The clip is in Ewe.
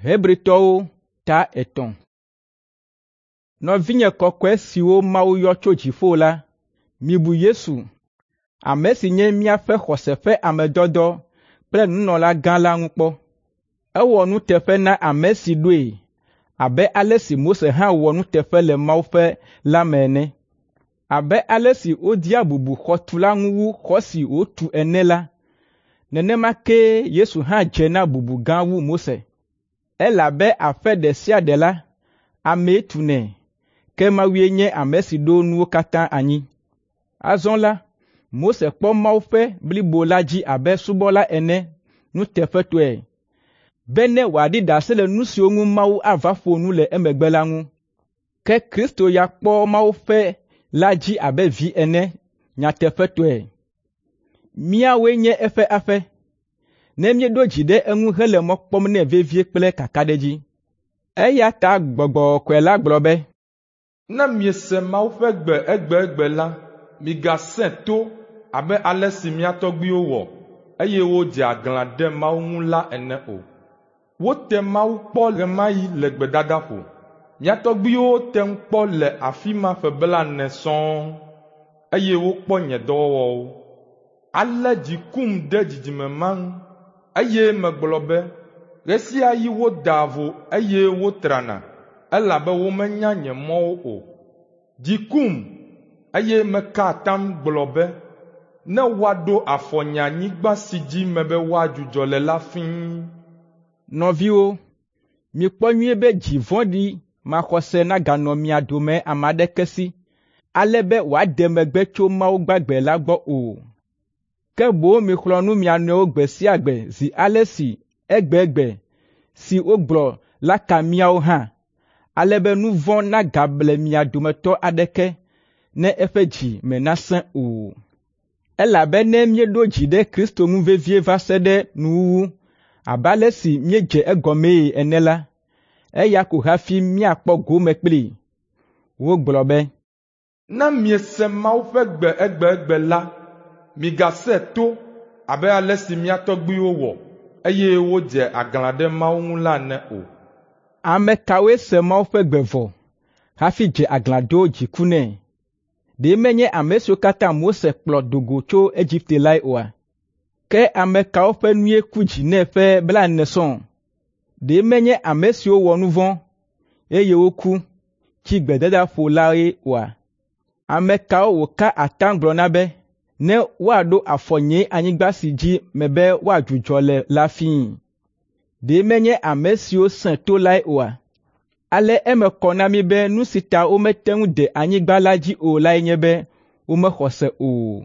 Hebritɔwo ta 3. Nɔvinye kɔkɔe siwo Mawu yɔ tso dziƒo la, mibu Yesu, ame si nye míaƒe xɔse ƒe ame dɔdɔ kple nunɔlagã la ŋu kpɔ. Ewɔ nuteƒe na ame si ɖoe abe ale si Mose hã wɔ nuteƒe le Mawu ƒe la me ene. Abe ale si wodea bubu xɔtula ŋu wu xɔ si wòtu ene la, nenema kee Yesu hã dze na bubu gã wu Mose. Elabe aƒe ɖe sia ɖe la, amee tunɛ, ke Mawue nye ame si ɖo nuwo katã anyi. Azɔ la, Mose kpɔ Mawu ƒe blibo la dzi abe subɔla ene nuteƒetɔe, bene wòaɖi ɖase le nu siwo ŋu Mawu ava ƒo nu le emegbe la ŋu. Ke Kristo ya kpɔ Mawu ƒe la dzi abe vi ene nyateƒetɔe. Míawoe nye eƒe aƒe, ne míeɖo dzi ɖe eŋu hele mɔ kpɔm nɛ vevie kple kakaɖedzi. Eya ta Gbɔgbɔ Kɔkɔe la gblɔ be, Ne miese Mawu ƒe gbe egbegbe la, migasẽ to abe ale si mía tɔgbuiwo wɔ, eye wodze aglã ɖe Mawu ŋu la ene o. Wote Mawu kpɔ ɣe ma ɣi le gbedadaƒo. Mía tɔgbuiwo tem kpɔ le afi ma ƒe blaene sɔŋ, eye wokpɔ nye dɔwɔwɔwo. Ale dzi kum ɖe dzidzime ma ŋu, eye megblɔ be, ‘Ɣe sia ɣi wodaa vo eye wotrana, elabe womenya nye mɔwo o.’ Dzi kum, eye meka atam gblɔ be, ‘Ne woaɖo afɔ nye anyigba si dzi mebe woadzudzɔ le la fĩi.’ Nɔviwo, mikpɔ nyuie be dzi vɔ̃ɖi maxɔse naganɔ mia dome ame aɖeke si, ale be wòade megbe tso Mawu gbagbe la gbɔ o. Ke boŋ mixlɔ̃ nu mia nɔewo gbe sia gbe zi ale si egbegbe si wogblɔ la ka míawo hã, ale be nu vɔ̃ nagable mia dometɔ aɖeke ne eƒe dzi me nasẽ o. Elabe ne míeɖo dzi ɖe Kristo ŋu vevie va se ɖe nuwuwu abe ale si míedze egɔmee ene la, eya ko hafi míakpɔ gome kplii. Wogblɔ be, Ne miese Mawu ƒe gbe egbegbe la, migasẽ to abe ale si mía tɔgbuiwo wɔ, eye wodze aglã ɖe Mawu ŋu la ene o. Ame kawoe se Mawu ƒe gbe vɔ hafi dze aglã do dziku nɛ? Ɖe menye ame siwo katã Mose kplɔ do go tso Egipte lae oa? Ke ame kawo ƒe nue ku dzi nɛ ƒe blaene sɔŋ? Ɖe menye ame siwo wɔ nu vɔ̃, eye woku, tsi gbedadaƒo lae oa? Ame kawo wòka atam gblɔ na be, ne woaɖo afɔ nye anyigba si dzi mebe woadzudzɔ le la fĩi? Ɖe menye ame siwo sẽ to lae oa? Ale eme kɔ na mí be nu si ta womete ŋu de anyigba la dzi o lae nye be womexɔ se o.